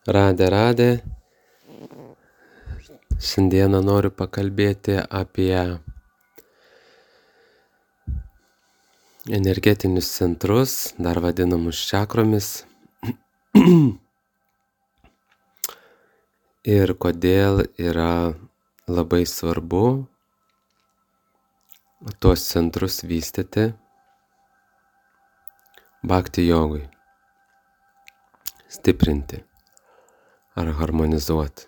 Radė. Šiandieną noriu pakalbėti apie energetinius centrus, dar vadinamus čakromis. Ir kodėl yra labai svarbu tuos centrus vystyti bhakti jogui, stiprinti ar harmonizuoti.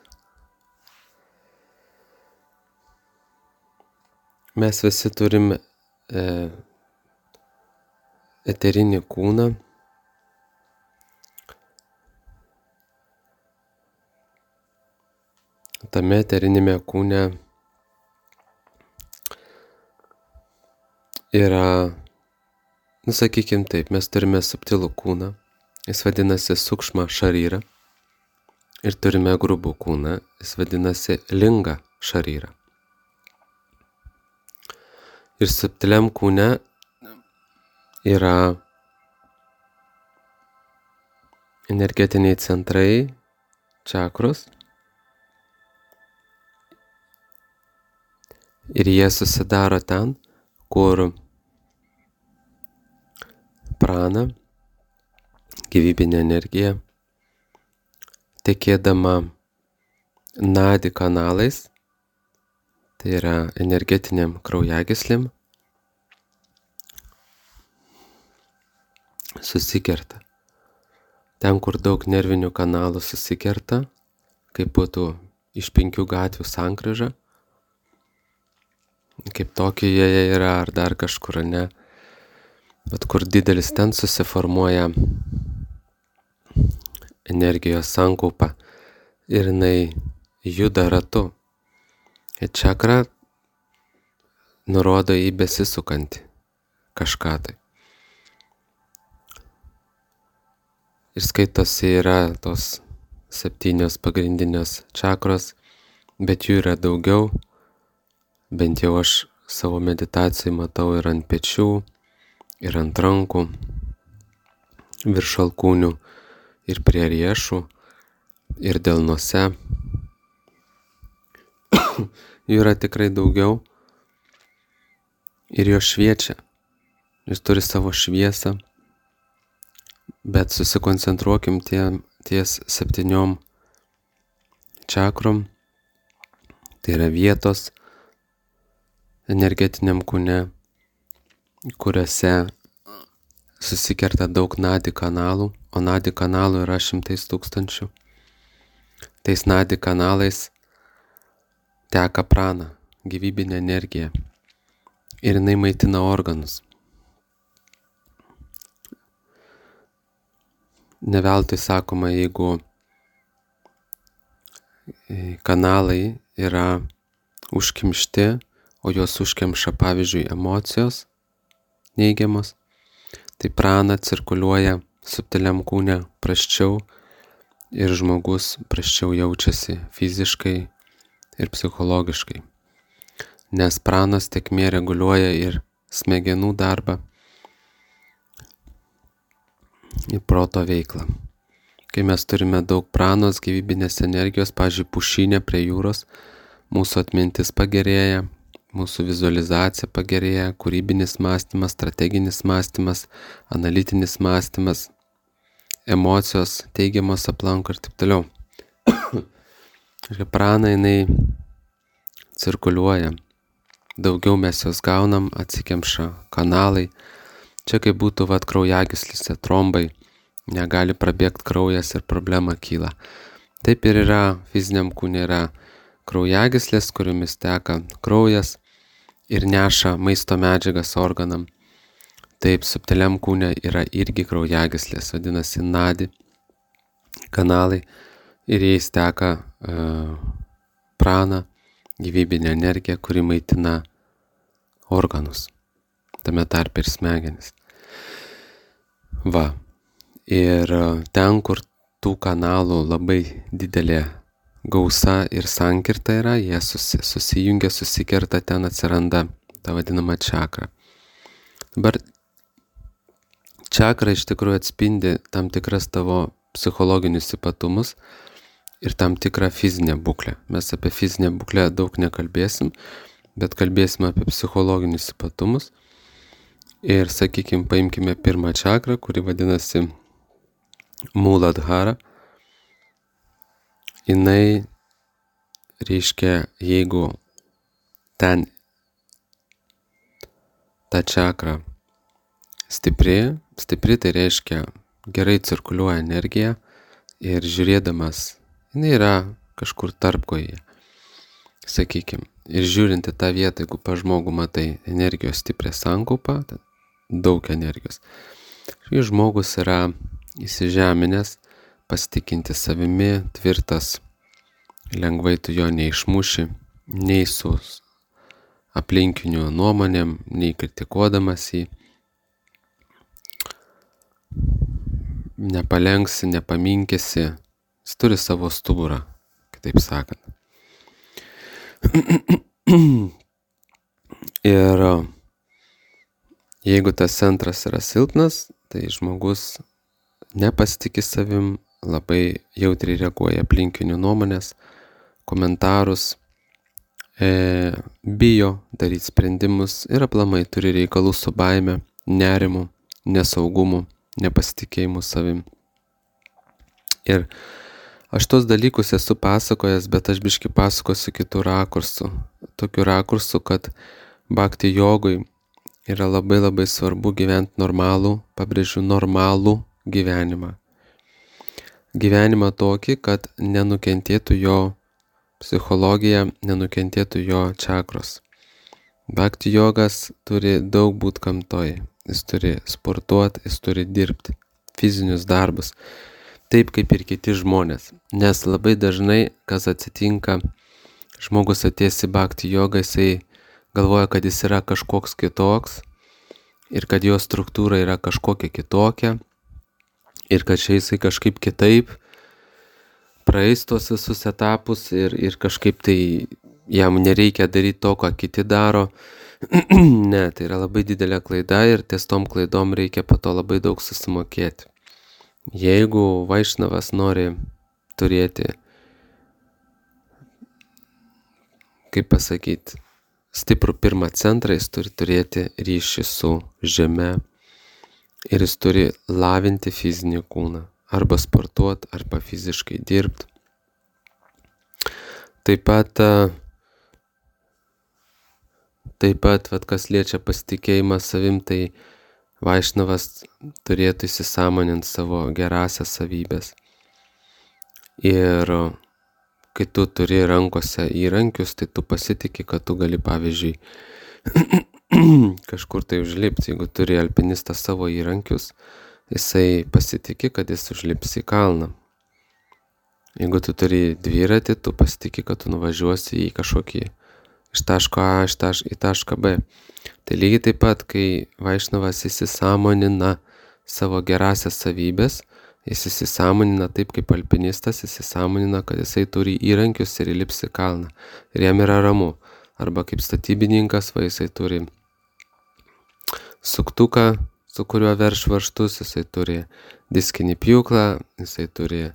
Mes visi turime eterinį kūną, tame eterinėme kūne yra, sakykim taip, mes turime subtilų kūną, jis vadinasi sukšma šaryra, ir turime grubų kūną, jis vadinasi linga šaryra. Ir subtiliam kūne yra energetiniai centrai, čakros, ir jie susidaro ten, kur prana, gyvybinė energija, tekėdama nadi kanalais, tai yra energetiniam kraujagyslėm, susikerta. Ten, kur daug nervinių kanalų susikerta, kaip būtų iš 5 gatvių sankryža, kaip Tokijoje yra ar dar kažkur, ne, bet kur didelis, ten susiformuoja energijos sankaupa ir jinai juda ratu. Ir čakra nurodo į besisukantį kažką tai. Ir skaitosi yra tos 7 pagrindinės čakros, bet jų yra daugiau, bent jau aš savo meditacijai matau ir ant pečių, ir ant rankų, virš alkūnių, ir prie riešų, ir delnuose. Jų yra tikrai daugiau ir jos šviečia. Jis turi savo šviesą, bet susikoncentruokim ties 7 čakrom. Tai yra vietos energetiniam kūne, kuriuose susikerta daug nadi kanalų, o nadi kanalų yra 100 000. Tais nadi kanalais teka prana, gyvybinė energija, ir jinai maitina organus. Ne veltui sakoma, jeigu kanalai yra užkimšti, o juos užkemša, pavyzdžiui, emocijos neigiamos, tai prana cirkuliuoja subtiliam kūne prasčiau ir žmogus prasčiau jaučiasi fiziškai ir psichologiškai. Nes pranos tėkmė reguliuoja ir smegenų darbą, ir proto veiklą. Kai mes turime daug pranos, gyvybinės energijos, pavyzdžiui, pušynė prie jūros, mūsų atmintis pagerėja, mūsų vizualizacija pagerėja, kūrybinis mąstymas, strateginis mąstymas, analitinis mąstymas, emocijos teigiamos aplanko ir taip toliau. Ir prana jinai cirkuliuoja. Daugiau mes jos gaunam, atsikemša kanalai. Čia kaip būtų kraujagyslėse trombai, negali prabėgti kraujas ir problema kyla. Taip ir yra, fiziniam kūne yra kraujagyslės, kuriomis teka kraujas ir neša maisto medžiagas organam. Taip, subtiliam kūne yra irgi kraujagyslės, vadinasi nadi kanalai, ir jais teka prana, gyvybinė energija, kuri maitina organus, tame tarpe ir smegenis. Ir ten, kur tų kanalų labai didelė gausa ir sankirta yra, jie susijungia, susikerta, ten atsiranda ta vadinama čakra. Dabar čakra iš tikrųjų atspindi tam tikras tavo psichologinius ypatumus ir tam tikrą fizinę būklę. Mes apie fizinę būklę daug nekalbėsim, bet kalbėsim apie psichologinius ypatumus. Ir, sakykime, paimkime pirmą čakrą, kuri vadinasi Muladhara. Jinai reiškia, jeigu ten ta čakra stipri tai reiškia gerai cirkuliuoja energija ir žiūrėdamas, jinai yra kažkur tarpkoje, sakykime. Ir žiūrint į tą vietą, jeigu pa žmogų matai energijos stiprią sankaupą, daug energijos. Šis žmogus yra įsižeminęs, pasitikinti savimi, tvirtas, lengvai tu jo neišmuši, nei su aplinkinių nuomonėm, nei kritikuodamas jį. Nepalenksi, nepaminkėsi, jis turi savo stuburą, kitaip sakant. Ir jeigu tas centras yra silpnas, tai žmogus nepasitikė savim, labai jautriai reaguoja aplinkinių nuomonės, komentarus, bijo daryti sprendimus ir aplamai turi reikalų su baime, nerimu, nesaugumu, nepasitikėjimu savim. Ir aš tos dalykus esu pasakojęs, bet aš biškį pasakosiu kitų rakursų. Tokiu rakursu, kad bhakti jogui yra labai svarbu gyventi normalų, pabrėžiu normalų gyvenimą. Gyvenimą tokį, kad nenukentėtų jo psichologija, nenukentėtų jo čakros. Bhakti jogas turi daug būt gamtoj. Jis turi sportuoti, jis turi dirbti fizinius darbus, taip kaip ir kiti žmonės. Nes labai dažnai, kas atsitinka, žmogus atėjęs į bhakti jogą, jisai galvoja, kad jis yra kažkoks kitoks ir kad jo struktūra yra kažkokia kitokia ir kad čia jisai kažkaip kitaip praeis tos visus etapus ir kažkaip tai jam nereikia daryti to, ką kiti daro. Ne, tai yra labai didelė klaida ir ties tom klaidom reikia po to labai daug susimokėti. Jeigu vaišnavas nori turėti, kaip pasakyti, stiprų pirmą centrą, jis turi turėti ryšį su žeme ir jis turi lavinti fizinį kūną, arba sportuoti, arba fiziškai dirbti. Taip pat, kas liečia pasitikėjimą savim, tai vaišnavas turėtų įsisąmoninti savo gerąsias savybės. Ir kai tu turi rankose įrankius, tai tu pasitiki, kad tu gali, pavyzdžiui, kažkur tai užlipti. Jeigu turi alpinistas savo įrankius, jisai pasitiki, kad jis užlips į kalną. Jeigu tu turi dviratį, tu pasitiki, kad tu nuvažiuosi į kažkokį iš taško A į tašką B. Tai lygiai taip pat, kai vaišnavas įsisąmonina savo gerąsias savybės, jis įsisąmonina taip kaip alpinistas, įsisąmonina, kad jisai turi įrankius ir įlips į kalną. Ir jam yra ramu. Arba kaip statybininkas, jisai turi suktuką, su kuriuo verš varžtus, jisai turi diskinį pjūklą, jisai turi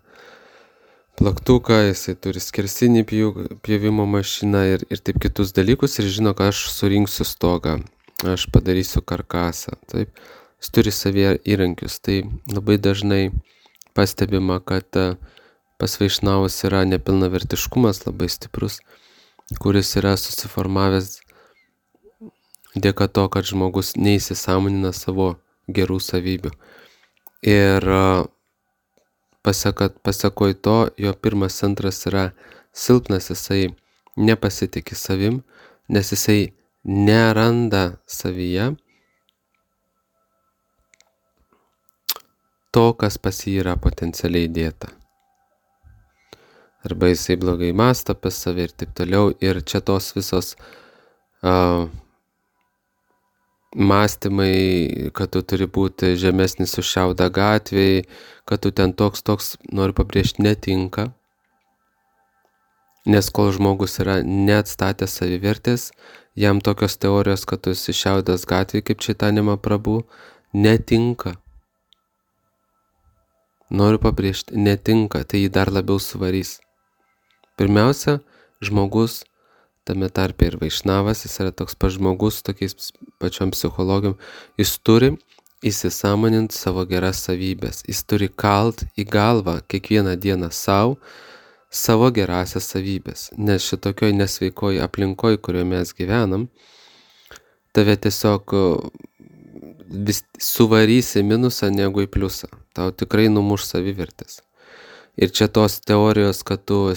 plaktuką, jisai turi skersinį pjovimo mašiną ir taip kitus dalykus ir žino, kad aš surinksiu stogą, aš padarysiu karkasą. Taip, jis turi savyje įrankius. Tai labai dažnai pastebima, kad pas vaišnavus yra nepilnavertiškumas labai stiprus, kuris yra susiformavęs dėka to, kad žmogus neįsisąmonina savo gerų savybių. Ir pasakoj to, jo pirmas centras yra silpnas, jisai nepasitikė savim, nes jisai neranda savyje to, kas pas jį yra potencialiai dėta. Arba jisai blogai mąsto apie save ir taip toliau. Ir čia tos visos mąstymai, kad tu turi būti žemesnis už šiaudą gatvėj, kad tu ten toks, noriu pabrėžti, netinka. Nes kol žmogus yra neatstatęs savivertės, jam tokios teorijos, kad tu esi šiaudas gatvėj kaip Čaitanija Mahaprabhu, netinka. noriu pabrėžti, netinka, tai jį dar labiau suvarys. Pirmiausia, žmogus, tame tarpe ir vaišnavas, jis yra toks pats žmogus, tokiais pačiom psichologijom, jis turi įsisąmoninti savo geras savybės. Jis turi kalt į galvą kiekvieną dieną savo gerasias savybės. Nes šitokioj nesveikoj aplinkoj, kurioje mes gyvenam, tave tiesiog vis suvarys į minusą negu į pliusą. Tau tikrai numuš savivertės. Ir čia tos teorijos, kad tu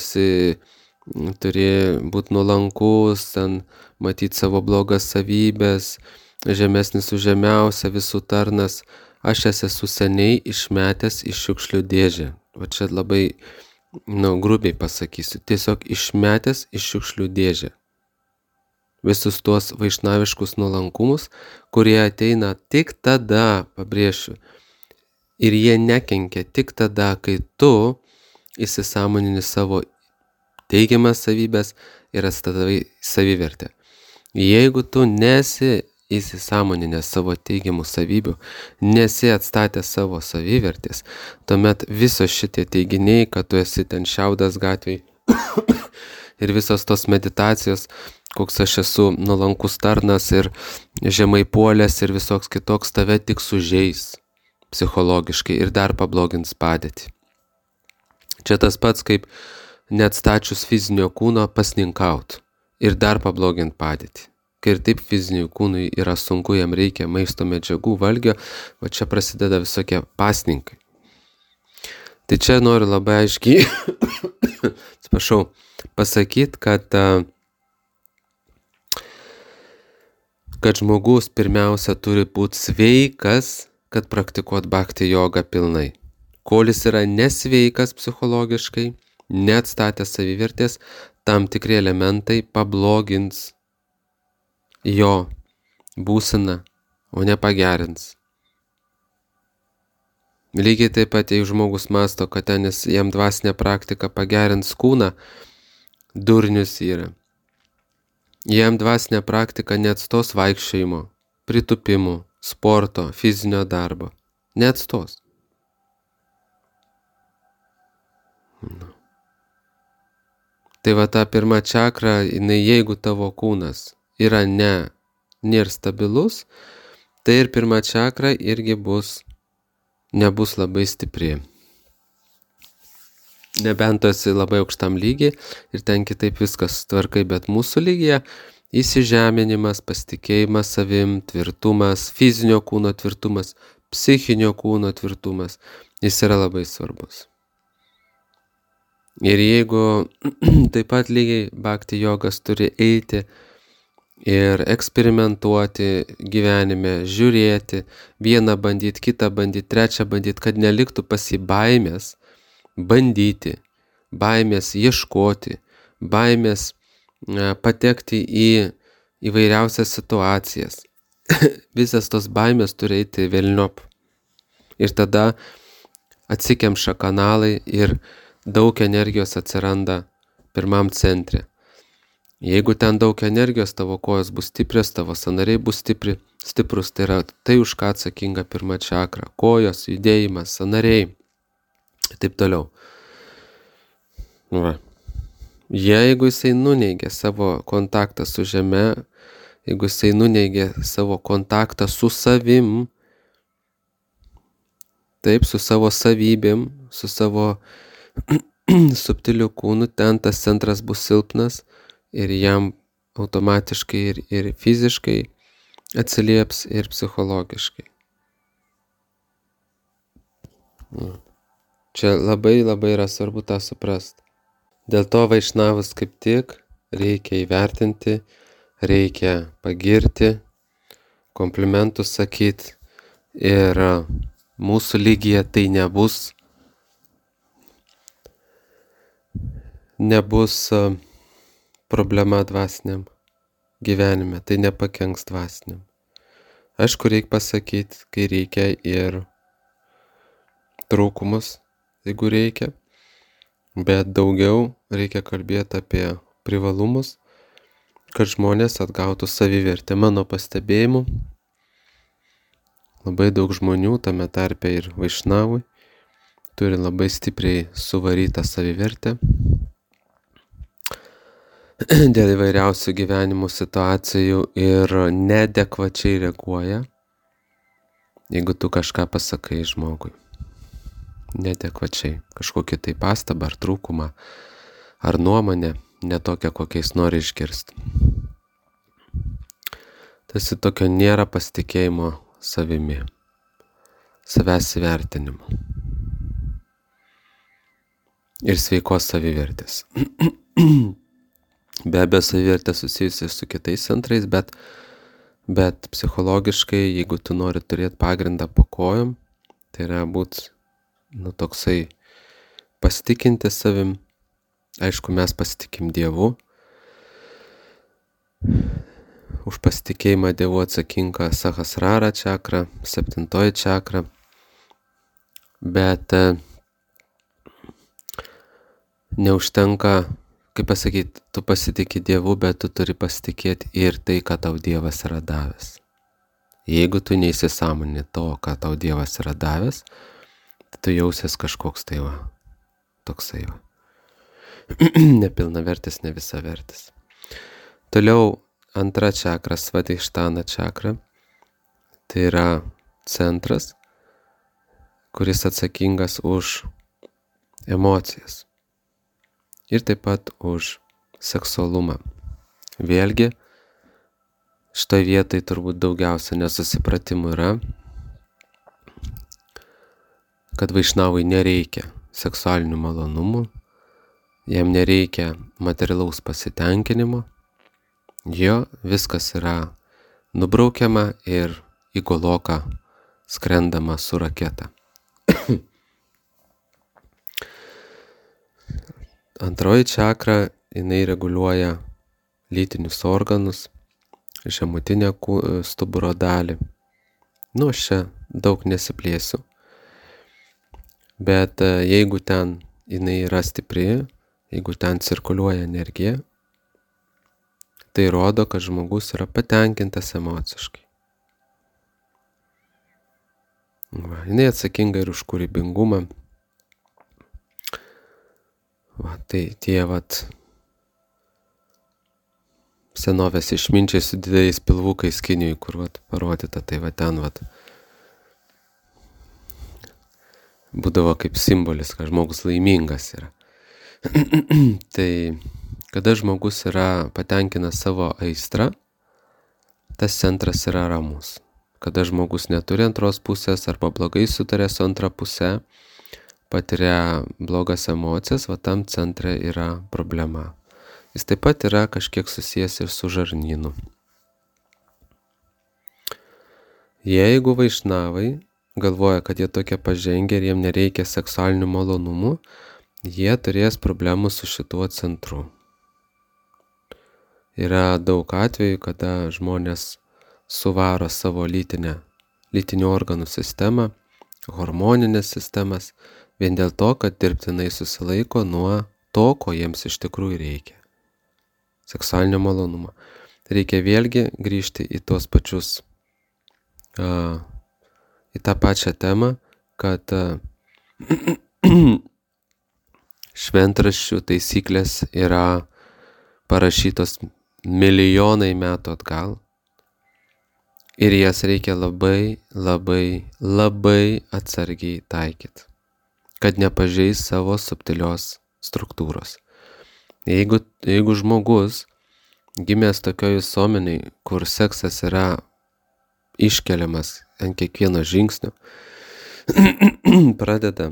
turi būti nuolankus, ten matyti savo blogas savybės, žemesnis už žemiausią, visų tarnas. Aš esu seniai išmetęs iš šiukšlių dėžę. Va čia labai, grubiai pasakysiu. Tiesiog išmetęs iš šiukšlių dėžę. Visus tuos vaišnaviškus nuolankumus, kurie ateina tik tada, pabrėšiu, ir jie nekenkia tik tada, kai tu įsisąmonini savo teigiamas savybės ir atstatai savivertę. Jeigu tu nesi įsisąmoninęs savo teigiamų savybių, nesi atstatęs savo savivertės, tuomet visos šitie teiginiai, kad tu esi ten šiaudas gatvėj ir visos tos meditacijos, koks aš esu nuolankus tarnas ir žemai puolęs ir visoks kitoks, tave tik sužeis psichologiškai ir dar pablogins padėtį. Čia tas pats, kaip neatstačius fizinio kūno pasninkaut ir dar pablogint padėtį. Kai ir taip fiziniui kūnui yra sunku, jam reikia maisto medžiagų, valgio, va čia prasideda visokie pasninkai. Tai čia noriu labai aiškiai, pasakyti, kad žmogus pirmiausia turi būti sveikas, kad praktikuot bhakti jogą pilnai. Kol jis yra nesveikas psichologiškai, neatstatęs savivertės, tam tikri elementai pablogins jo būseną, o ne pagerins. Lygiai taip pat, jei žmogus mąsto, kad jam dvasinė praktika pagerins kūną, durnius yra. Jam dvasinė praktika neatstos vaikščiojimo, pritupimų, sporto, fizinio darbo. Neatstos. Tai va ta pirma čakra, jeigu tavo kūnas yra nėra stabilus, tai ir pirma čakra irgi nebus labai stipri. Nebent tu esi labai aukštam lygiai ir ten kitaip viskas tvarkai, bet mūsų lygyje įsižeminimas, pasitikėjimas savim, tvirtumas, fizinio kūno tvirtumas, psichinio kūno tvirtumas, jis yra labai svarbus. Ir jeigu taip pat lygiai bhakti jogas turi eiti ir eksperimentuoti gyvenime, žiūrėti, vieną bandyti, kitą bandyti, trečią bandyti, kad neliktų pas jį baimės, bandyti, baimės ieškoti, baimės patekti į įvairiausias situacijas. Visas tos baimės turi eiti velniop. Ir tada atsikemša kanalai ir daug energijos atsiranda pirmam centre. Jeigu ten daug energijos, tavo kojos bus stiprios, tavo sąnariai bus stiprus, tai yra tai, už ką atsakinga pirma čakra. Kojos, judėjimas, sąnariai ir taip toliau. Va. Jeigu jisai nuneigia savo kontaktą su žeme, jeigu jisai nuneigia savo kontaktą su savim, taip, su savo savybėm, su savo subtiliu kūnu, ten tas centras bus silpnas ir jam automatiškai ir fiziškai atsilieps ir psichologiškai. Čia labai yra svarbu tą suprast. Dėl to vaišnavus kaip tik reikia įvertinti, reikia pagirti, komplimentus sakyti ir mūsų lygyje tai nebus problema dvasiniam gyvenime, tai nepakenks dvasiniam. Aišku, reikia pasakyti, kai reikia ir trūkumus, jeigu reikia, bet daugiau reikia kalbėti apie privalumus, kad žmonės atgautų savivertę. Mano pastebėjimu, labai daug žmonių, tame tarpe ir vaišnavui, turi labai stipriai suvarytą savivertę dėl įvairiausių gyvenimo situacijų ir neadekvačiai reaguoja, jeigu tu kažką pasakai žmogui. Neadekvačiai. Kažkokį tai pastabą ar trūkumą, ar nuomonę, ne tokią, kokiais nori išgirsti. Tarsi tokio nėra pasitikėjimo savimi, savęs įvertinimo ir sveikos savivertės. Be abejo, savivertė susijusi su kitais centrais, bet psichologiškai, jeigu tu nori turėti pagrindą po kojom, tai yra būt toksai pasitikinti savim. Aišku, mes pasitikim Dievu. Už pasitikėjimą Dievu atsakinga Sahasrara čakra, 7 čakra. Bet neužtenka, kaip pasakyti, tu pasitiki Dievu, bet tu turi pasitikėti ir tai, ką tau Dievas yra davęs. Jeigu tu neįsisąmonini to, ką tau Dievas yra davęs, tai tu jausies kažkoks tai va, toksai va. Nepilnavertis, ne visavertis. Toliau 2 čakra, Svadhišthana čakra. Tai yra centras, kuris atsakingas už emocijas. Ir taip pat už seksualumą. Vėlgi, šitoje vietoje turbūt daugiausia nesusipratimų yra, kad vaišnavui nereikia seksualinių malonumų, jam nereikia materialaus pasitenkinimo, jo viskas yra nubraukiama ir į Goloką skrendama su raketa. 2 čakra, jinai reguliuoja lytinius organus, žemutinę stuburo dalį. Aš čia daug nesiplėsiu. Bet jeigu ten jinai yra stipri, jeigu ten cirkuliuoja energija, tai rodo, kad žmogus yra patenkintas emociškai. Jinai atsakinga ir už kūrybingumą. Tai tie senovės išminčiai su dideliais pilvukais Kinijoj, kur parodyta, tai ten būdavo kaip simbolis, kad žmogus laimingas yra. Tai kada žmogus yra patenkinęs savo aistrą, tas centras yra ramus. Kada žmogus neturi antros pusės arba blogai sutarė su antra pusė, patiria blogas emocijas, tam centre yra problema. Jis taip pat yra kažkiek susijęs ir su žarnynu. Jeigu vaišnavai galvoja, kad jie tokie pažengę ir jiem nereikia seksualinių malonumų, jie turės problemų su šituo centru. Yra daug atvejų, kada žmonės suvaro savo lytinių organų sistemą, hormoninės sistemas, vien dėl to, kad dirbtinai susilaiko nuo to, ko jiems iš tikrųjų reikia. Seksualinio malonumo. Reikia vėlgi grįžti į tuos pačius, į tą pačią temą, kad šventraščių taisyklės yra parašytos milijonai metų atgal ir jas reikia labai, labai, labai atsargiai taikyti, kad nepažeis savo subtilios struktūros. Jeigu žmogus gimęs tokioj visuomeniai, kur seksas yra iškeliamas ant kiekvieno žingsnio, pradeda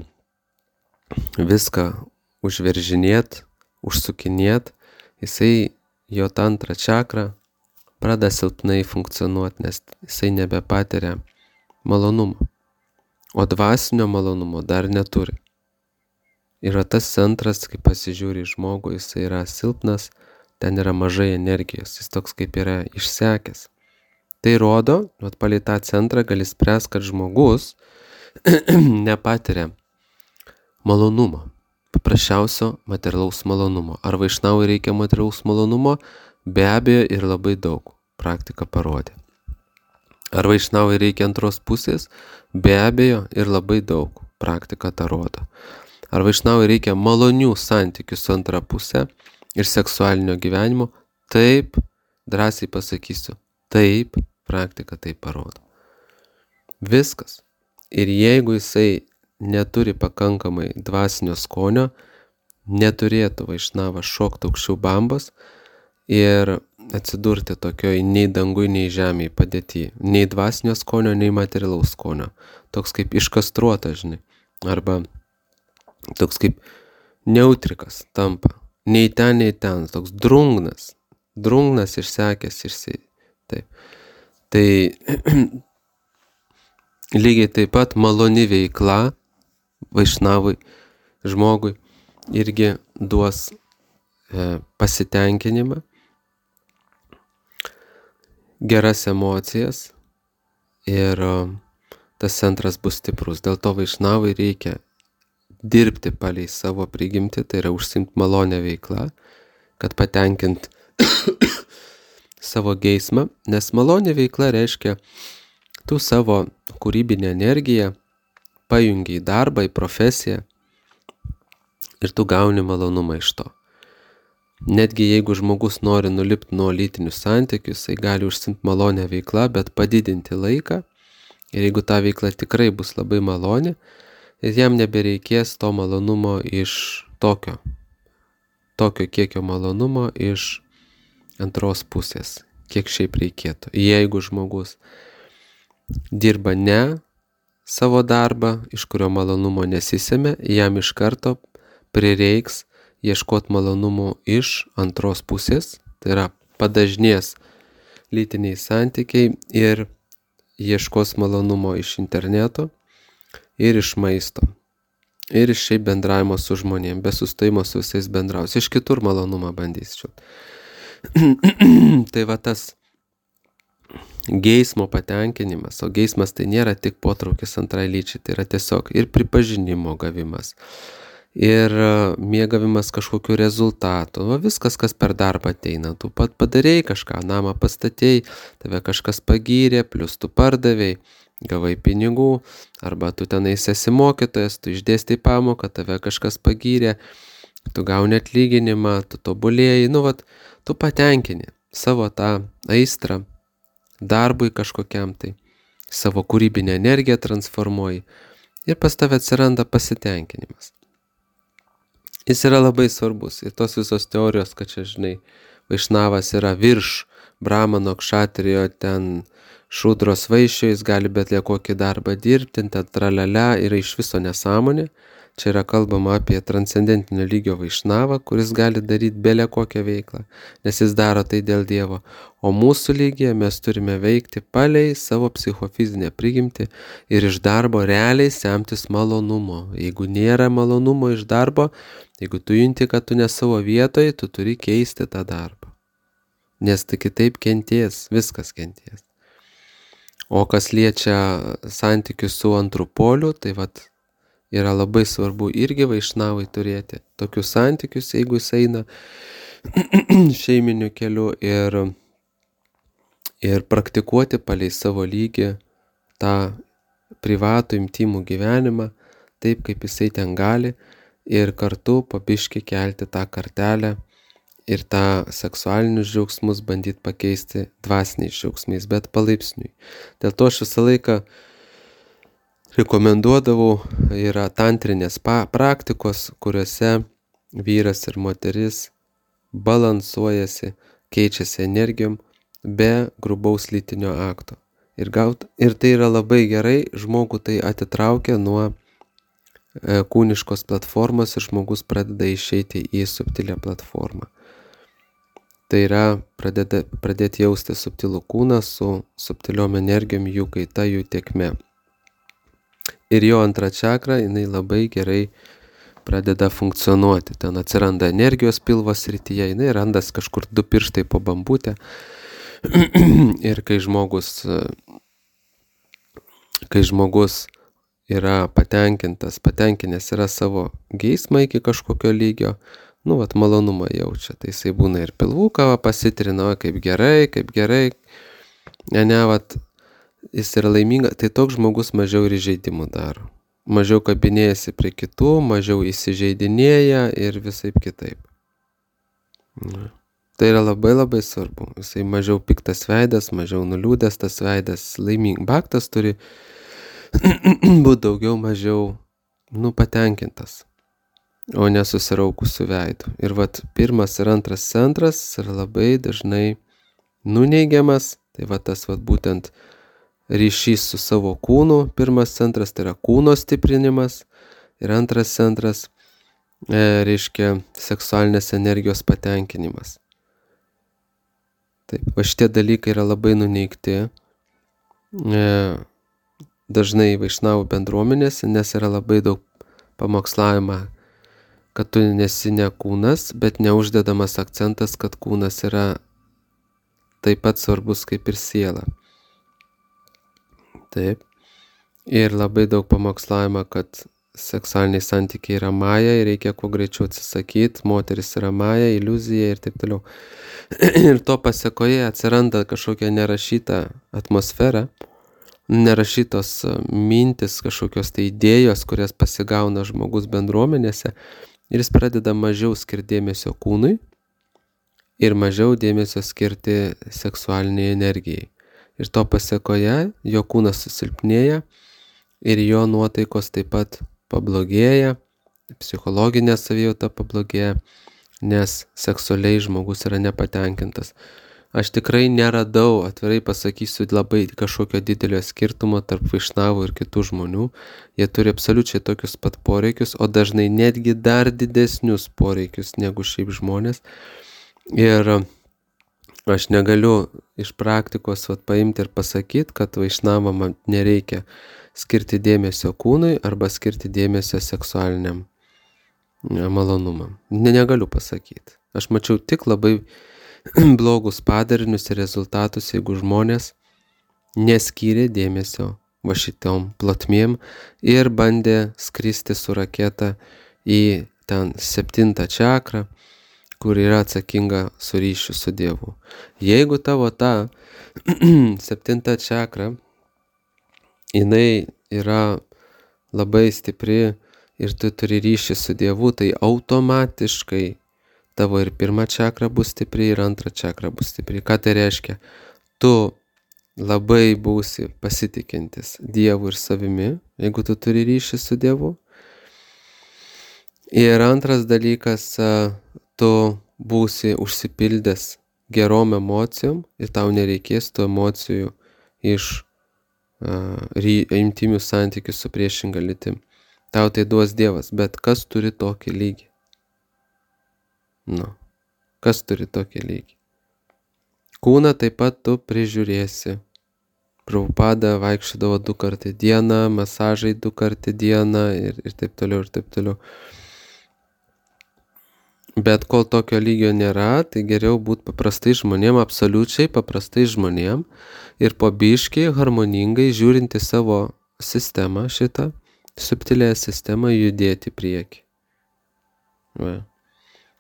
viską užveržinėt, užsukinėt, jo tantra čakra pradeda silpnai funkcionuoti, nes jisai nebepatiria malonumo, o dvasinio malonumo dar neturi. Yra tas centras, kai pasižiūri į žmogų, jisai yra silpnas, ten yra mažai energijos, jis toks kaip yra išsekęs. Tai rodo, palei tą centrą gali spręsti, kad žmogus nepatiria malonumo, paprasčiausio materialaus malonumo. Ar vaišnavui reikia materialaus malonumo? Be abejo ir labai daug, praktika parodė. Ar vaišnavui reikia antros pusės? Be abejo ir labai daug. praktika tą rodo. Ar vaišnavui reikia malonių santykių su antra pusė ir seksualinio gyvenimo? Taip, drąsiai pasakysiu, taip, praktika tai parodo. Viskas. Ir jeigu jisai neturi pakankamai dvasinio skonio, neturėtų vaišnavas šokti aukščiau bambos ir atsidurti tokioj nei dangui, nei žemėj padėty. Nei dvasinio skonio, nei materialaus skonio. Toks kaip iškastruotas, žinai. Arba toks kaip neutrikas tampa. Nei ten, toks drungnas. Drungnas išsekęs Taip. Tai lygiai taip pat maloni veikla vaišnavui žmogui irgi duos pasitenkinimą, geras emocijas ir tas centras bus stiprus. Dėl to vaišnavui reikia dirbti palei savo prigimtį, tai yra užsiimti malonę veiklą, kad patenkint savo geismą, nes malonė veikla reiškia, tu savo kūrybinę energiją pajungi į darbą, į profesiją ir tu gauni malonumą iš to. Netgi jeigu žmogus nori nulipti nuo lytinių santykių, jisai gali užsiimti malonę veiklą, bet padidinti laiką ir jeigu ta veikla tikrai bus labai maloni, jam nebereikės to malonumo iš tokio kiekio malonumo iš antros pusės, kiek šiaip reikėtų. Jeigu žmogus dirba ne savo darbą, iš kurio malonumo nesisėmė, jam iš karto prireiks ieškoti malonumų iš antros pusės, tai yra padažnės lytiniai santykiai ir ieškos malonumo iš interneto ir iš maisto. Ir iš šiaip bendravimo su žmonėm, be sustojimo su visais bendraus. Iš kitur malonumą bandys čiut. Tai va tas geismo patenkinimas, o geismas tai nėra tik potraukis antrai lyčiai, tai yra tiesiog ir pripažinimo gavimas, ir mėgavimas kažkokiu rezultatu. Va viskas, kas per darbą ateina. Tu pat padarėjai kažką, namą pastatėjai, tave kažkas pagyrė, plus tu pardavėjai, gavai pinigų, arba tu tenais esi mokytojas, tu išdėstai pamoką, tave kažkas pagyrė, tu gauni atlyginimą, tu tobulėjai, tu patenkini savo tą aistrą darbui kažkokiam tai, savo kūrybinę energiją transformuoji ir pas tave atsiranda pasitenkinimas. Jis yra labai svarbus ir tos visos teorijos, kad čia, žinai, vaišnavas yra virš brahmano, kšatrijo, ten šudros vaišio, jis gali bet kokį darbą dirbti, ten tralialia, yra iš viso nesąmonė. Čia yra kalbama apie transcendentinio lygio vaišnavą, kuris gali daryti belė kokią veiklą, nes jis daro tai dėl Dievo. O mūsų lygyje mes turime veikti palei savo psichofizinę prigimtį ir iš darbo realiai semtis malonumo. Jeigu nėra malonumo iš darbo, jeigu tu junti, kad tu ne savo vietoje, tu turi keisti tą darbą. Nes tai kitaip kenties, viskas kenties. O kas liečia santykius su antru poliu, tai yra labai svarbu irgi vaišnavai turėti tokius santykius, jeigu jis eina šeiminiu keliu ir praktikuoti palei savo lygį tą privatų intymų gyvenimą, taip kaip jisai ten gali, ir kartu pabiški kelti tą kartelę ir tą seksualinius džiaugsmus bandyti pakeisti dvasiniais džiaugsmais, bet palaipsniui. Dėl to aš visą laiką rekomenduodavau, yra tantrinės praktikos, kuriuose vyras ir moteris balansuojasi, keičiasi energijom be grubaus lytinio akto. Ir tai yra labai gerai, žmogų tai atitraukia nuo kūniškos platformos ir žmogus pradeda išeiti į subtilę platformą. Tai yra pradėti jausti subtilų kūną su subtiliom energijom, jų kaita, jų tėkme. Ir jo antra čakra, jinai labai gerai pradeda funkcionuoti. Ten atsiranda energijos pilvo srityje, jinai randas kažkur 2 pirštai po bambutę. Ir kai žmogus yra patenkinęs yra savo geismą iki kažkokio lygio, malonumą jaučia. Tai jisai būna ir pilvuką pasitrina, kaip gerai. Jis yra laiminga, tai toks žmogus mažiau ir įžeidimų daro. mažiau kabinėjasi prie kitų, mažiau įsižeidinėja ir visaip kitaip. Tai yra labai labai svarbu. Jisai mažiau piktas veidas, mažiau nuliūdęs tas veidas, bhaktas turi būti daugiau mažiau patenkintas, o nesusiraukusių veidų. Ir pirmas ir antras centras yra labai dažnai nuneigiamas. Tai tas būtent ryšys su savo kūnu. Pirmas centras tai yra kūno stiprinimas. Ir antras centras reiškia seksualinės energijos patenkinimas. Taip, šitie dalykai yra labai nuneigti dažnai vaišnavų bendruomenėse, nes yra labai daug pamokslavimą, kad tu nesi ne kūnas, bet neuždedamas akcentas, kad kūnas yra taip pat svarbus kaip ir siela. Taip. Ir labai daug pamokslavimą, kad seksualiniai santykiai yra maja ir reikia kuo greičiau atsisakyti, moteris yra maja, iliuzija ir taip toliau. Ir to pasekoje atsiranda kažkokia nerašyta atmosfera, nerašytos mintis, kažkokios tai idėjos, kurias pasigauna žmogus bendruomenėse ir jis pradeda mažiau skirti dėmesio kūnui ir mažiau dėmesio skirti seksualiniai energijai. Ir to pasekoje jo kūnas susilpnėja ir jo nuotaikos taip pat pablogėja, psichologinė savijauta pablogėja, nes seksualiai žmogus yra nepatenkintas. Aš tikrai neradau, atvirai pasakysiu, labai kažkokio didelio skirtumo tarp vaišnavų ir kitų žmonių. Jie turi absoliučiai tokius pat poreikius, o dažnai netgi dar didesnius poreikius negu šiaip žmonės. Ir aš negaliu iš praktikos paimti ir pasakyti, kad vaišnavam nereikia skirti dėmesio kūnui arba skirti dėmesio seksualiniam malonumam. Negaliu pasakyti. Aš mačiau tik labai blogus padarinius ir rezultatus, jeigu žmonės neskyrė dėmesio šitom plotmėm ir bandė skristi su raketa į ten 7 čakrą, kur yra atsakinga su ryšiu su Dievu. Jeigu tavo ta 7 čakra, jinai yra labai stipri ir tu turi ryšį su Dievu, tai automatiškai tavo ir 1 čakra bus stipri, ir 2 čakra bus stipri. Ką tai reiškia? Tu labai būsi pasitikintis Dievu ir savimi, jeigu tu turi ryšį su Dievu. Ir antras dalykas, tu būsi užsipildęs gerom emocijom ir tau nereikės tų emocijų iš intimių santykių su priešinga lytim. Tau tai duos Dievas, bet kas turi tokį lygį? Kas turi tokį lygį? Kūną taip pat tu prižiūrėsi. Prabhupada vaikščiodavo 2 kartų į dieną, masažai 2 kartų į dieną ir taip toliau ir taip toliau. Bet kol tokio lygio nėra, tai geriau būti paprastai žmonėm, absoliučiai paprastai žmonėm ir po biškį harmoningai žiūrinti savo sistemą šitą, subtilę sistemą judėti prieki.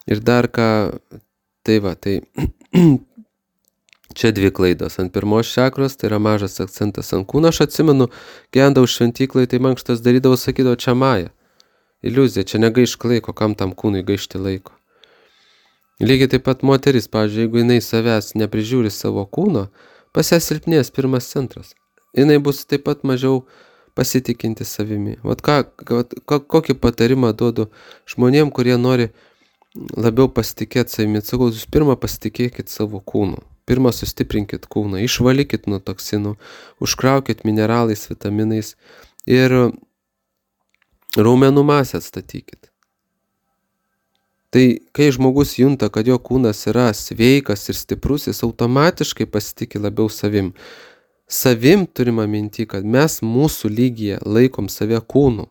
Ir dar ką, tai čia 2 klaidos. Ant 1 čakros tai yra mažas akcentas ant kūno. Aš atsimenu, gendau šventyklai, tai mankštas darydavau, sakydavau, čia maja. Iliuzija, čia negaišk laiko, kam tam kūnui gaišti laiko. Lygiai taip pat moteris, pavyzdžiui, jeigu jinai savęs neprižiūri savo kūno, pas ją silpnės 1 centras. Jinai bus taip pat mažiau pasitikinti savimi. Kokį patarimą duodu žmonėm, kurie nori labiau pasitikėti savimi. Sakau, jūs pirmą pasitikėkit savo kūnu. Pirmą sustiprinkit kūną, išvalykit nuo toksinų, užkraukit mineralais, vitaminais ir raumenų masę atstatykit. Tai kai žmogus junta, kad jo kūnas yra sveikas ir stiprus, jis automatiškai pasitikė labiau savim. Savim turime minti, kad mes mūsų lygyje laikom save kūnu.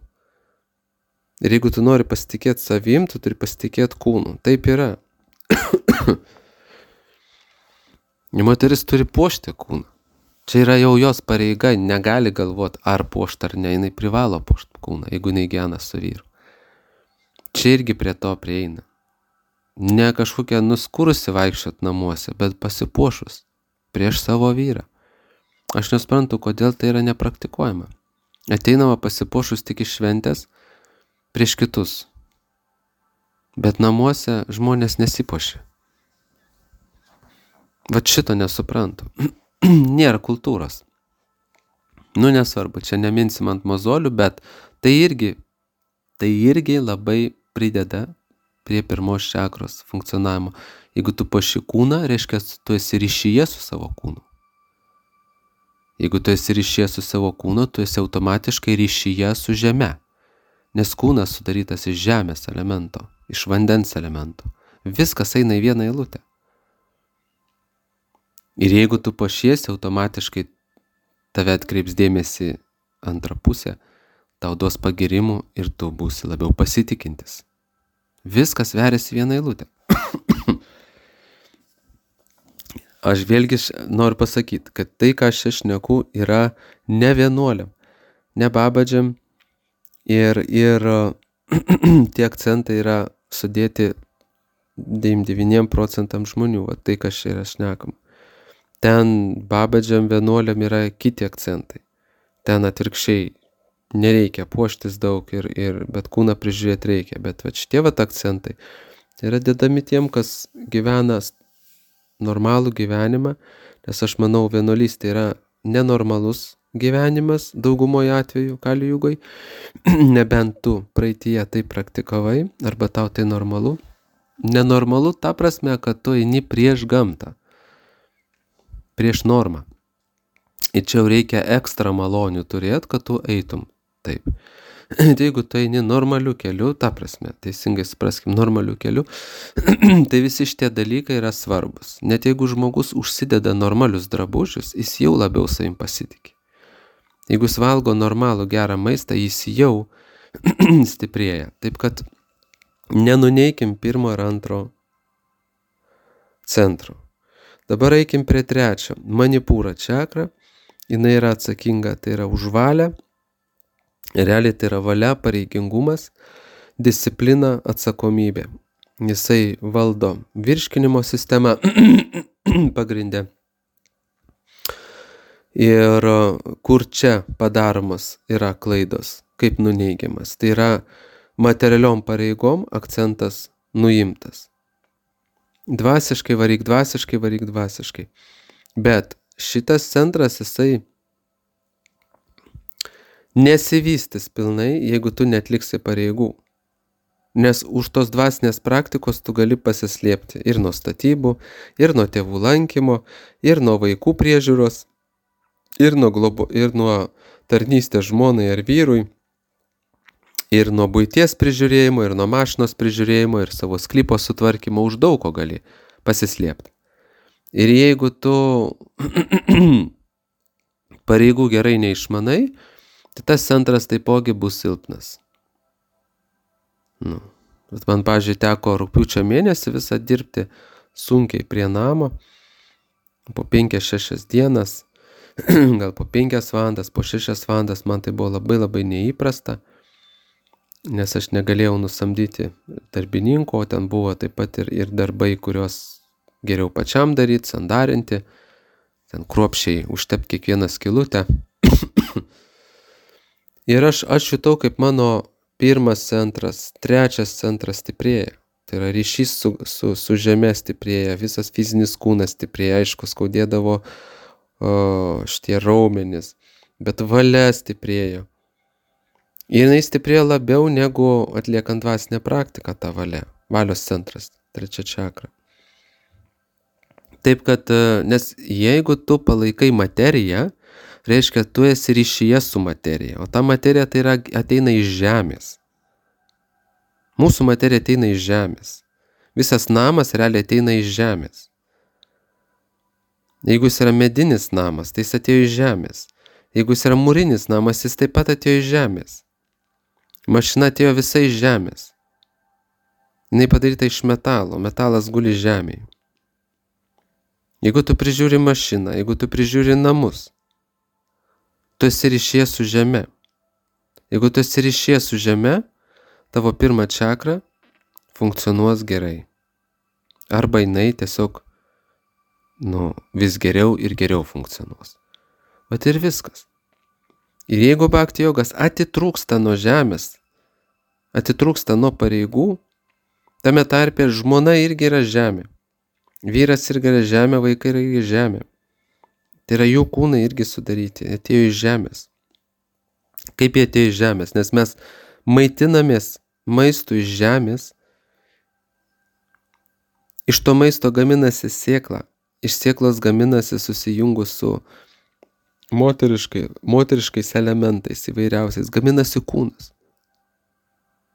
Ir jeigu tu nori pasitikėti savim, tu turi pasitikėti kūnu. Taip yra. Moteris turi puošti kūną. Čia yra jau jos pareiga, negali galvoti, ar puošti ar ne, jinai privalo puošti kūną, jeigu jinai gyvena su vyru. Čia irgi prie to prieina. Ne kažkokia nuskurusi vaikščiot namuose, bet pasipuošus prieš savo vyrą. Aš nesuprantu, kodėl tai yra nepraktikuojama. Ateinama pasipuošus tik iš šventės prieš kitus. Bet namuose žmonės nesipuošia. Vat šito nesuprantu. Nėra kultūros. Nesvarbu, čia neminsim ant mozolių, bet tai irgi labai prideda prie pirmos čakros funkcionavimo. Jeigu tu puoši kūną, reiškia, tu esi ryšyje su savo kūnu. Jeigu tu esi ryšyje su savo kūnu, tu esi automatiškai ryšyje su žeme. Nes kūnas sudarytas iš žemės elemento, iš vandens elemento. Viskas eina į vieną eilutę. Ir jeigu tu puošiesi, automatiškai tave atkreips dėmesį antrą pusę, tau duos pagirimų ir tu būsi labiau pasitikintis. Viskas veriasi vieną eilutę. Aš vėlgi noriu pasakyti, kad tai, ką aš šneku, yra ne vienuoliam, ne babadžiam ir tie akcentai yra sudėti 99% žmonių, va tai, kas čia yra šnekam. Ten babadžiam vienuoliam yra kiti akcentai. Ten atvirkščiai nereikia puoštis daug, bet kūną prižiūrėti reikia. Bet šitie akcentai yra dedami tiem, kas gyvena normalų gyvenimą, nes aš manau, vienuolystė yra nenormalus gyvenimas daugumoje atveju Kali Jugoj, nebent tu praeityje tai praktikavai, arba tau tai normalu. Nenormalu ta prasme, kad tu eini prieš gamtą, prieš normą. Ir čia reikia ekstra malonių turėti, kad tu eitum taip. Jeigu tu eini normaliu keliu, ta prasme, teisingai supraskim, normaliu keliu, tai visi šitie dalykai yra svarbus. Net jeigu žmogus užsideda normalius drabužius, jis jau labiau savim pasitikė. Jeigu jis valgo normalų gerą maistą, jis jau stiprėja. Taip kad nenuneikim pirmo ir antro centro. Dabar eikim prie trečio. Manipūra čakra. Jinai yra atsakinga, tai yra už valią. Realiai tai yra valia, pareigingumas, disciplina, atsakomybė. Jisai valdo virškinimo sistemą pagrinde. Ir kur čia padaromos yra klaidos, kaip nuneigiamas. Tai yra materialiom pareigom akcentas nuimtas. Dvasiškai varyk dvasiškai. Bet šitas centras jisai nesivystys pilnai, jeigu tu netliksi pareigų. Nes už tos dvasinės praktikos tu gali pasislėpti ir nuo statybų, ir nuo tėvų lankymo, ir nuo vaikų priežiūros, ir nuo tarnystės žmonai ar vyrui, ir nuo buities prižiūrėjimo, ir nuo mašinos prižiūrėjimo, ir savo sklypo sutvarkymo, už daug ko gali pasislėpti. Ir jeigu tu pareigų gerai neišmanai, tai tas centras taipogi bus silpnas. Bet man, pavyzdžiui, teko rugpjūčio mėnesį visą dirbti sunkiai prie namo, po 5-6 dienas, gal po 5 valandas, po 6 valandas, man tai buvo labai labai neįprasta, nes aš negalėjau nusamdyti darbininkų, o ten buvo taip pat ir darbai, kuriuos geriau pačiam daryti, sandarinti, ten kruopščiai užtepti kiekvieną skylutę. Ir aš jutau, kaip mano pirmas centras, trečias centras stiprėja. Tai yra ryšys su žeme stiprėja, visas fizinis kūnas stiprėja, aišku, skaudėdavo šitie raumenys, bet valia stiprėjo. Ir jinai stiprėjo labiau negu atliekant dvasinę praktiką tą valią. Valios centras, trečia čakra. Taip kad, nes jeigu tu palaikai materiją, reiškia, tu esi ryšyje su materija, o ta materija tai ateina iš žemės. Mūsų materija ateina iš žemės. Visas namas realiai ateina iš žemės. Jeigu jis yra medinis namas, tai jis atėjo iš žemės. Jeigu jis yra mūrinis namas, jis taip pat atėjo iš žemės. Mašina atėjo visai iš žemės. Jinai padaryta iš metalo, metalas guli žemėje. Jeigu tu prižiūri mašiną, jeigu tu prižiūri namus, tu esi ryšyje su žeme. Jeigu tu esi ryšyje su žeme, tavo pirma čakra funkcionuos gerai. Arba jinai tiesiog vis geriau ir geriau funkcionuos. Bet ir viskas. Ir jeigu bhakti jogas atitrūksta nuo žemės, atitrūksta nuo pareigų, tame tarpe žmona irgi yra žemė. Vyras irgi yra žemė, vaikai yra irgi žemė. Tai yra jų kūnai irgi sudaryti, atėjo iš žemės. Kaip jie atėjo iš žemės? Nes mes maitinamės maistu iš žemės, iš to maisto gaminasi sėkla, iš sėklos gaminasi susijungus su moteriškais elementais įvairiausiais, gaminasi kūnas.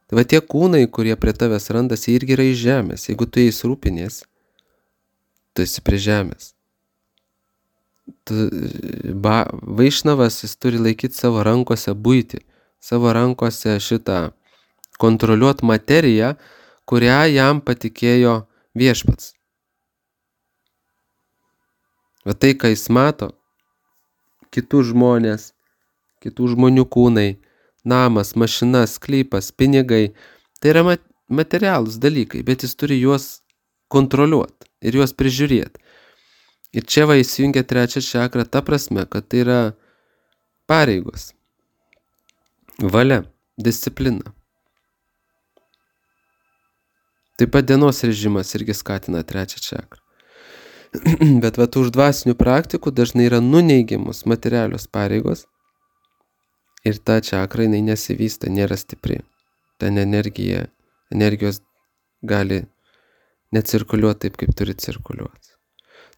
Tai va tie kūnai, kurie prie tavęs randasi, irgi yra iš žemės. Jeigu tu jais rūpinies, tu esi prie žemės. Vaišnavas, jis turi laikyti savo rankose buitį, savo rankose šitą kontroliuoti materiją, kurią jam patikėjo viešpats. Va tai, ką jis mato, kitų žmonės, kitų žmonių kūnai, namas, mašina, sklypas, pinigai, tai yra materialūs dalykai, bet jis turi juos kontroliuoti ir juos prižiūrėti. Ir čia va įsijungia trečią čakrą ta prasme, kad tai yra pareigos, valia, disciplina. Taip pat dienos režimas irgi skatina trečią čakrą. Bet va už dvasinių praktikų dažnai yra nuneigiamos materialios pareigos ir ta čakra jinai nesivysta, nėra stipri. Ten energijos gali necirkuliuoti taip, kaip turi cirkuliuoti.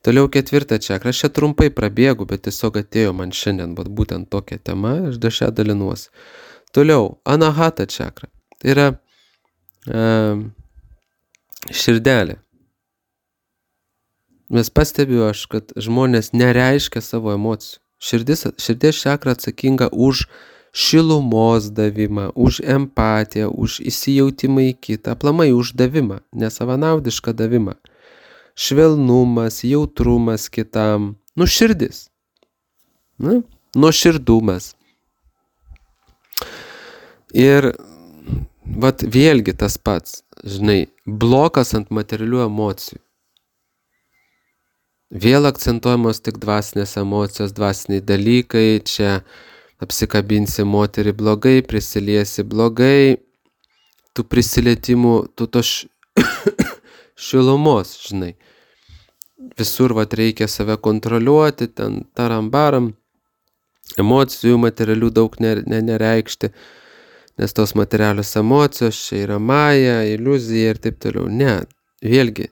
Toliau ketvirtą čakrą, aš čia trumpai prabėgu, bet tiesiog atėjo man šiandien būtent tokia tema, aš dar šią dalinuosi. Toliau, anahata čakra, tai yra širdelė. Mes pastebiu aš, kad žmonės nereiškia savo emocijų. Širdies čakra atsakinga už šilumos davimą, už empatiją, už įsijautimą į kitą, aplamai už davimą, nesavanaudišką davimą. Švelnumas, jautrumas kitam, širdis, nuoširdumas. Ir vat vėlgi tas pats, žinai, blokas ant materialių emocijų. Vėl akcentuojamos tik dvasinės emocijos, dvasiniai dalykai, čia apsikabinsi moterį blogai, prisiliesi blogai, tų prisilietimų, tų to šilumos, žinai. Visur vat reikia save kontroliuoti, ten tarambaram, emocijų materialių daug nereikšti, nes tos materialios emocijos čia yra maja, iliuzija ir taip toliau. Ne, vėlgi,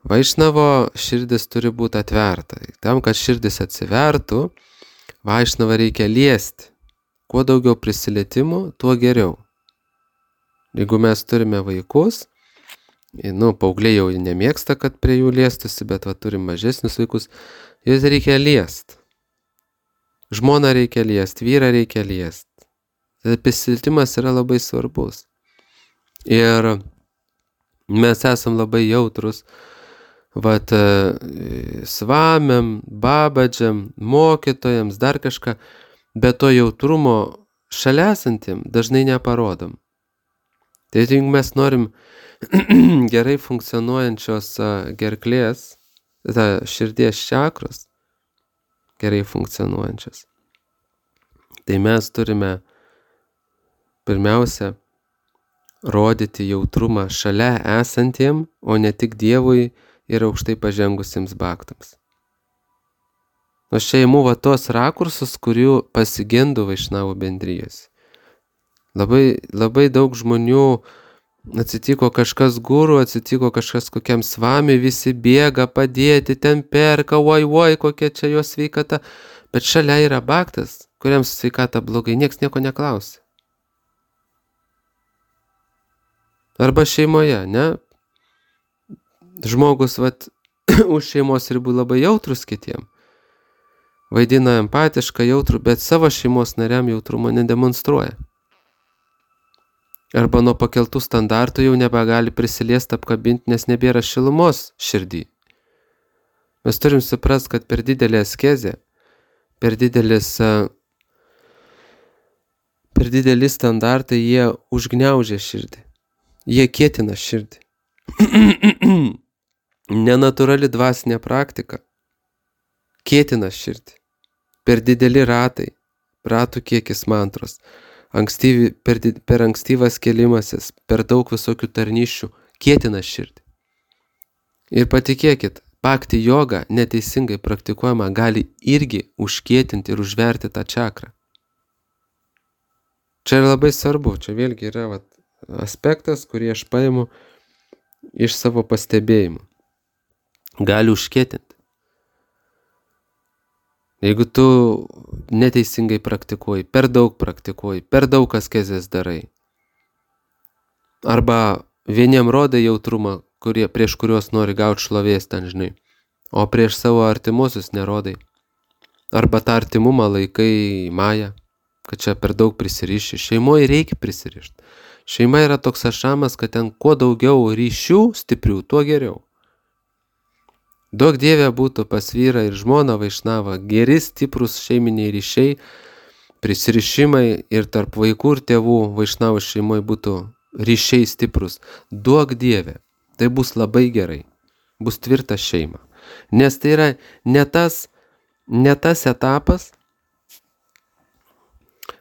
vaišnavo širdis turi būti atverta. Tam, kad širdis atsivertų, vaišnavą reikia liesti. Kuo daugiau prisilietimų, tuo geriau. Jeigu mes turime vaikus, paaugliai jau nemėgsta, kad prie jų liestusi, bet turim mažesnius vaikus, juos reikia liesti. Žmoną reikia liesti, vyrą reikia liesti. Prisilietimas yra labai svarbus. Ir mes esam labai jautrus, svamiam, babadžiam, mokytojams, dar kažką, bet to jautrumo šalia esantiem dažnai neparodom. Tai jeigu mes norim gerai funkcionuojančios gerklės, širdies čakros, gerai funkcionuojančios, tai mes turime pirmiausia rodyti jautrumą šalia esantiem, o ne tik Dievui ir aukštai pažengusiems baktams. Aš čia imu tos rakursus, kurių pasigendu vaišnavų bendrijos. Labai daug žmonių atsitiko kažkas guru, atsitiko kažkas kokiam svamiui, visi bėga padėti, ten perka, oi, kokia čia jo sveikata. Bet šalia yra baktas, kuriam sveikata blogai, nieks nieko neklausia. Arba šeimoje, ne? Žmogus už šeimos ribų labai jautrus kitiem. Vaidina empatišką, jautrų, bet savo šeimos nariam jautrumo nedemonstruoja. Arba nuo pakeltų standartų jau nebegali prisiliesti, apkabinti, nes nebėra šilumos širdį. Mes turim suprasti, kad per didelį askezę, per dideli standartai, jie užgniaužia širdį. Jie kietina širdį. Nenatūrali dvasinė praktika kietina širdį. Per dideli ratai, ratų kiekis mantros, per ankstyvas kėlimasis, per daug visokių tarnyščių kietina širdį. Ir patikėkit, bhakti joga neteisingai praktikuojama gali irgi užkietinti ir užverti tą čakrą. Čia yra labai svarbu, čia vėlgi yra aspektas, kurį aš paimu iš savo pastebėjimų. Gali užkietinti. Jeigu tu neteisingai praktikuoji, per daug askezės darai, arba vieniem rodai jautrumą, prieš kuriuos nori gauti šlovės ten, žinai, o prieš savo artimuosius nerodai, arba tą artimumą laikai maja, kad čia per daug prisiriši. Šeimoje reikia prisirišti. Šeima yra toks ašamas, kad ten kuo daugiau ryšių stiprių, tuo geriau. Duok Dieve būtų pas vyrą ir žmoną vaišnavą geri stiprus šeiminiai ryšiai, prisirišimai ir tarp vaikų ir tėvų vaišnavų šeimoje būtų ryšiai stiprus. Duok Dieve, tai bus labai gerai, bus tvirta šeima. Nes tai yra ne tas etapas,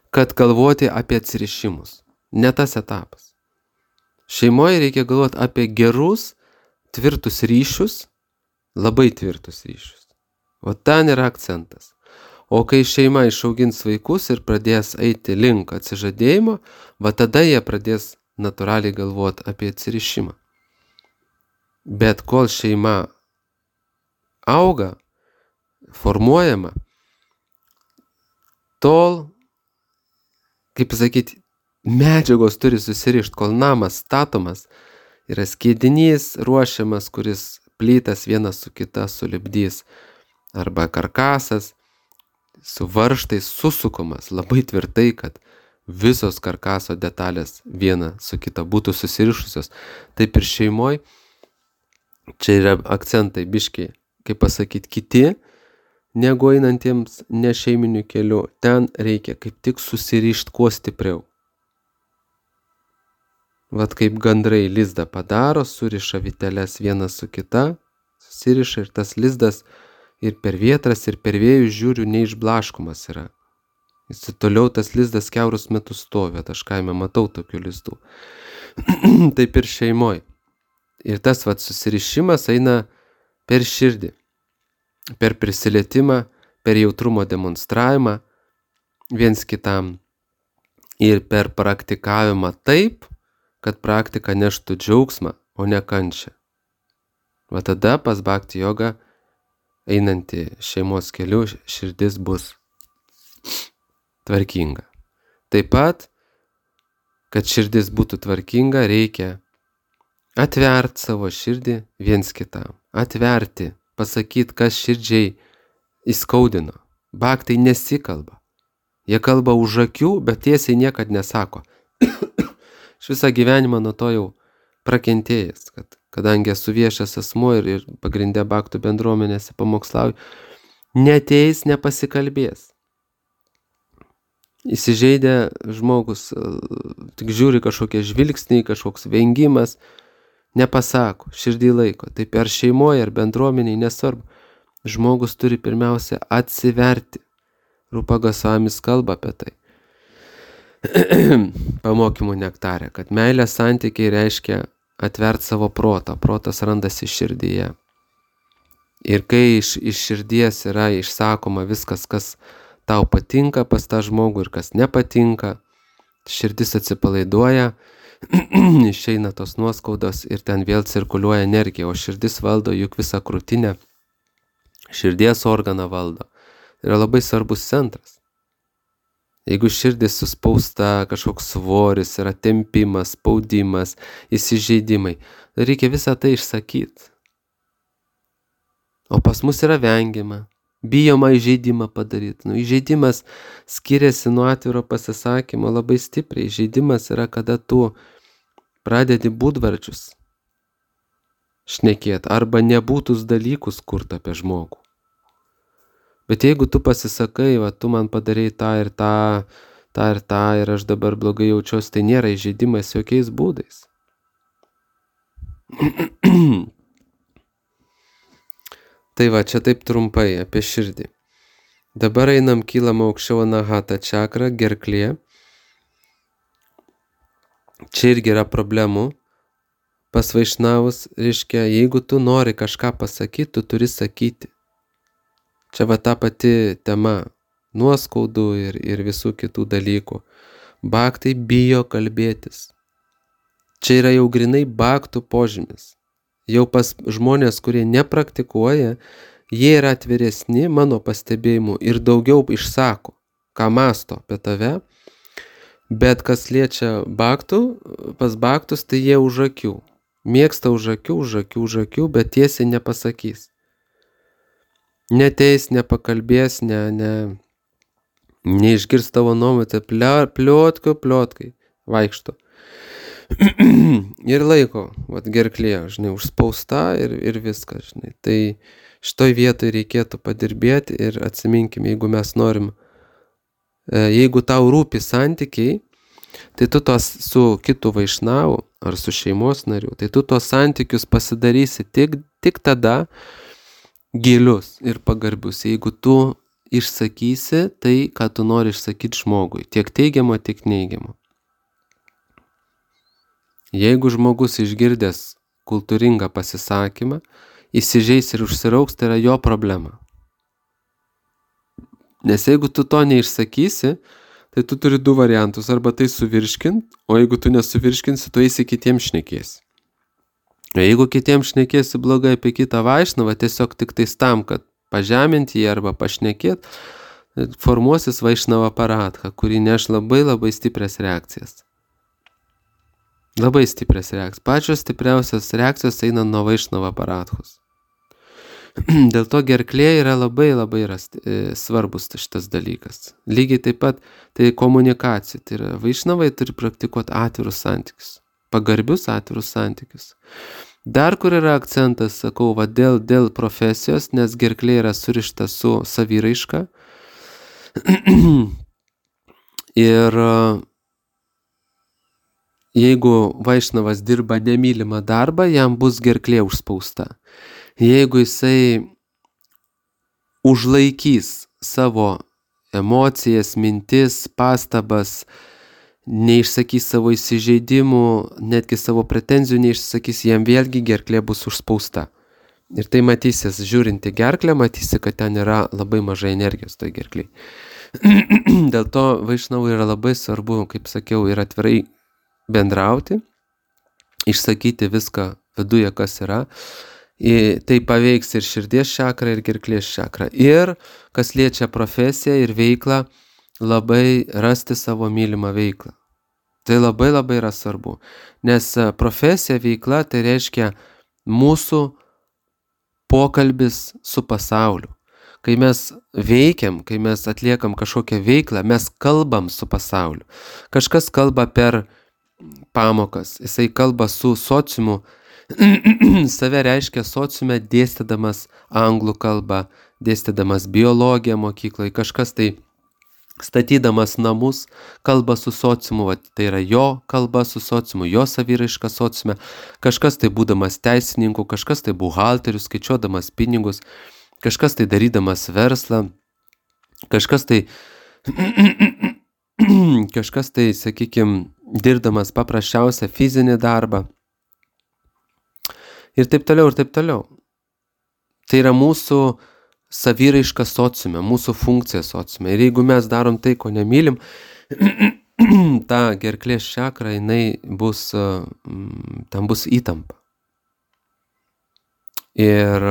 kad galvoti apie atsirišimus. Ne tas etapas. Šeimoje reikia galvoti apie gerus, tvirtus ryšius, labai tvirtus ryšius. O ten yra akcentas. O kai šeima išaugins vaikus ir pradės eiti link atsižadėjimo, tada jie pradės natūraliai galvoti apie atsirišimą. Bet kol šeima auga, formuojama, tol, kaip pasakyti, medžiagos turi susirišti, kol namas statomas, yra skiedinys ruošiamas, kuris plytas vienas su kita sulipdys, arba karkasas su varžtais susukomas labai tvirtai, kad visos karkaso detalės viena su kita būtų susirišusios. Taip ir šeimoj, čia yra akcentai biškiai, kaip pasakyti, kiti, negu einantiems nešeiminiu keliu. Ten reikia kaip tik susirišti kuo stipriau. Kaip gandrai lizdą padaro, suriša vyteles vieną su kita, susiriša ir tas lizdas ir per vietras, ir per vėjus žiūriu neišblaškomas yra. Jis toliau tas lizdas kiaurus metus stovi, aš kaime matau tokių lizdų. Taip ir šeimoj. Ir tas susirišimas eina per širdį, per prisilietimą, per jautrumo demonstravimą viens kitam ir per praktikavimą taip, kad praktika neštų džiaugsmą, o ne kančią. Tada pas bhakti jogą einanti šeimos keliu širdis bus tvarkinga. Taip pat, kad širdis būtų tvarkinga, reikia atverti savo širdį viens kitam. Atverti, pasakyti, kas širdžiai įskaudino. Bhaktai nesikalba. Jie kalba už akių, bet tiesiai niekad nesako. Aš visą gyvenimą nuo to jau prakentėjęs, kadangi esu viešas asmuo ir pagrinde bhaktų bendruomenėse pamokslauju, neateis, nepasikalbės. Įsižeidė žmogus, tik žiūri kažkokie žvilgsniai, kažkoks vengimas, nepasako, širdį laiko. Taip ar šeimoje, ar bendruomeniai, nesvarbu. Žmogus turi pirmiausia atsiverti. Rupa Gosvamis kalba apie tai. Pamokymų nektarė, kad meilės santykiai reiškia atverti savo protą. Protas randasi širdyje. Ir kai iš širdies yra išsakoma viskas, kas tau patinka pas tą žmogų ir kas nepatinka, širdis atsipalaiduoja, išeina tos nuoskaudos ir ten vėl cirkuliuoja energija, o širdis valdo juk visą krūtinę, širdies organą valdo. Yra labai svarbus centras. Jeigu širdis suspausta, kažkoks svoris, yra tempimas, spaudimas, įsižeidimai, reikia visą tai išsakyti. O pas mus yra vengiama, bijoma įžeidimą padaryti. Įžeidimas skiriasi nuo atviro pasisakymo labai stipriai. Įžeidimas yra, kada tu pradedi būdvardžius šnekėti arba nebūtus dalykus kurti apie žmogų. Bet jeigu tu pasisakai, tu man padarei tą ir tą ir aš dabar blogai jaučiuosi, tai nėra įžeidimas jokiais būdais. Tai čia taip trumpai apie širdį. Dabar einam, kylam aukščiau anahata čakra, gerklė. Čia irgi yra problemų. Pas vaišnavus, reiškia, jeigu tu nori kažką pasakyti, tu turi sakyti. Čia va ta pati tema nuoskaudų ir visų kitų dalykų. Bhaktai bijo kalbėtis. Čia yra jau grinai bhaktų požymis. Jau pas žmonės, kurie nepraktikuoja, jie yra atviresni mano pastebėjimu ir daugiau išsako, ką mąsto apie tave. Bet kas liečia bhaktų, pas bhaktus, tai jie už akių. Mėgsta už akių, bet tiesiai nepasakys. Neteis, nepakalbės, neišgirs tavo nuomonę, pliotkai vaikšto. Ir laiko, gerklė, užspausta ir viskas, Tai šitoj vietoj reikėtų padirbėti ir atsiminkim, jeigu mes norim, jeigu tau rūpi santykiai, tai tu tos su kitu vaišnavu ar su šeimos nariu, tai tu tos santykius pasidarysi tik tada gilius ir pagarbius, jeigu tu išsakysi tai, ką tu nori išsakyti žmogui, tiek teigiamo, tiek neigiamo. Jeigu žmogus išgirdęs kultūringą pasisakymą, įsižeis ir užsirauks, tai yra jo problema. Nes jeigu tu to neišsakysi, tai tu turi du variantus, arba tai suvirškint, o jeigu tu nesuvirškinsi, tu eisi kitiems šnekėsi. O jeigu kitiems šnekėsi blogai apie kitą vaišnavą, tiesiog tik tais tam, kad pažeminti jį arba pašnekėt, formuosis vaišnava paradha, kuri neš labai labai stiprias reakcijas. Labai stiprias reakcijas. Pačios stipriausios reakcijos eina nuo vaišnava paradhos. Dėl to gerklė yra labai labai svarbus šitas dalykas. Lygiai taip pat tai komunikacija. Tai yra vaišnavai turi praktikuoti atvirus santykius. Pagarbius atvirus santykius. Dar kur yra akcentas, sakau, dėl profesijos, nes gerklė yra surišta su saviraiška. Ir jeigu vaišnavas dirba nemylimą darbą, jam bus gerklė užspausta. Jeigu jisai užlaikys savo emocijas, mintis, pastabas, neišsakys savo įsižeidimų, netgi savo pretenzijų neišsakys, jam vėlgi gerklė bus užspausta. Ir tai matysis, žiūrint į gerklę, matysi, kad ten yra labai mažai energijos toj gerkliai. Dėl to vaišnavui yra labai svarbu, kaip sakiau, ir atvirai bendrauti, išsakyti viską viduje, kas yra. Tai paveiks ir širdies čakrą, ir gerklės čakrą. Ir kas liečia profesiją ir veiklą, labai rasti savo mylimą veiklą. Tai labai labai yra svarbu. Nes profesija, veikla, tai reiškia mūsų pokalbis su pasauliu. Kai mes veikiam, kai mes atliekam kažkokią veiklą, mes kalbam su pasauliu. Kažkas kalba per pamokas, jisai kalba su sociumu, save reiškia sociume dėstydamas anglų kalbą, dėstydamas biologiją mokykloje, kažkas tai statydamas namus, kalba su sociumu, tai yra jo kalba su sociumu, jo saviraiška sociume, kažkas tai būdamas teisininku, kažkas tai buhalterius, skaičiuodamas pinigus, kažkas tai darydamas verslą, kažkas tai, sakykime, dirbdamas paprasčiausią fizinį darbą. Ir taip toliau, ir taip toliau. Tai yra mūsų saviraiška sociume, mūsų funkcija sociume. Ir jeigu mes darom tai, ko nemylim, ta gerklės čakra, tam bus įtampa. Ir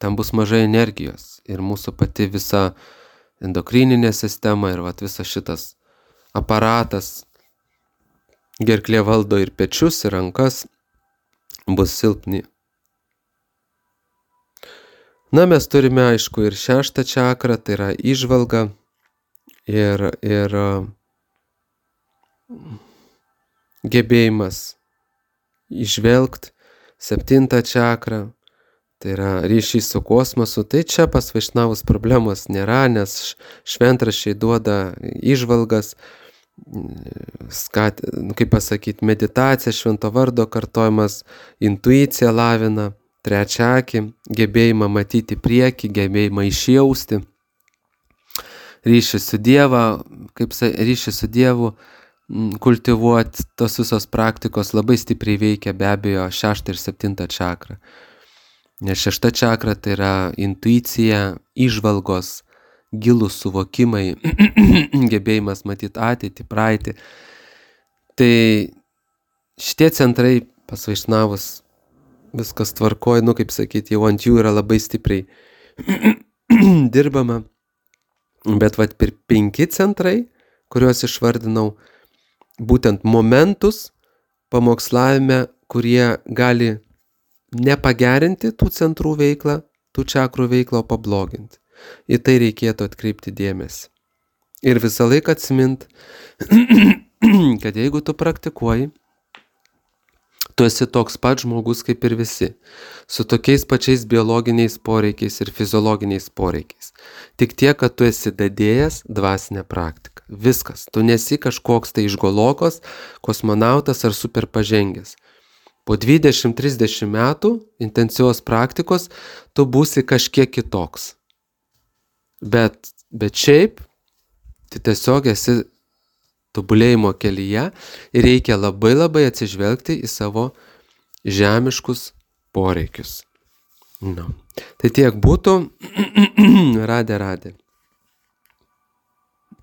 tam bus mažai energijos. Ir mūsų pati visa endokrininė sistema ir visas šitas aparatas, gerklė valdo ir pečius, ir rankas, bus silpni. Na, mes turime, aišku, ir šeštą čakrą, tai yra įžvalga ir gebėjimas įžvelgti, septintą čakrą, tai yra ryšys su kosmosu. Tai čia pas vaišnavus problemos nėra, nes šventraščiai duoda įžvalgas, kaip pasakyti, meditacija, švento vardo kartojimas, intuicija lavina, trečiakį, gebėjimą matyti priekį, gebėjimą išjausti. ryšį su ryšį su Dievu kultivuoti, tos visos praktikos labai stipriai veikia be abejo 6 ir 7 čakrą. Nes 6 čakra tai yra intuicija, įžvalgos, gilūs suvokimai, gebėjimas matyti ateitį, praeitį. Tai šitie centrai pas Vaišnavus viskas tvarkoja, kaip sakyti, jau ant jų yra labai stipriai dirbama. Bet 5 centrai, kuriuos išvardinau, būtent momentus pamokslavime, kurie gali nepagerinti tų centrų veiklą, tų čakrų veiklą, o pabloginti. Į tai reikėtų atkreipti dėmesį. Ir visą laiką atsimint, kad jeigu tu praktikuoji, tu esi toks pat žmogus kaip ir visi, su tokiais pačiais biologiniais poreikiais ir fiziologiniais poreikiais. Tik tiek, kad tu esi dadėjęs dvasinę praktiką. Viskas. Tu nesi kažkoks tai išgolokos, kosmonautas ar super pažengęs. Po 20-30 metų intensyvios praktikos tu būsi kažkiek kitoks. Bet šiaip, tu tiesiog esi tobulėjimo kelyje ir reikia labai atsižvelgti į savo žemiškus poreikius. Tai tiek būtų. Radė.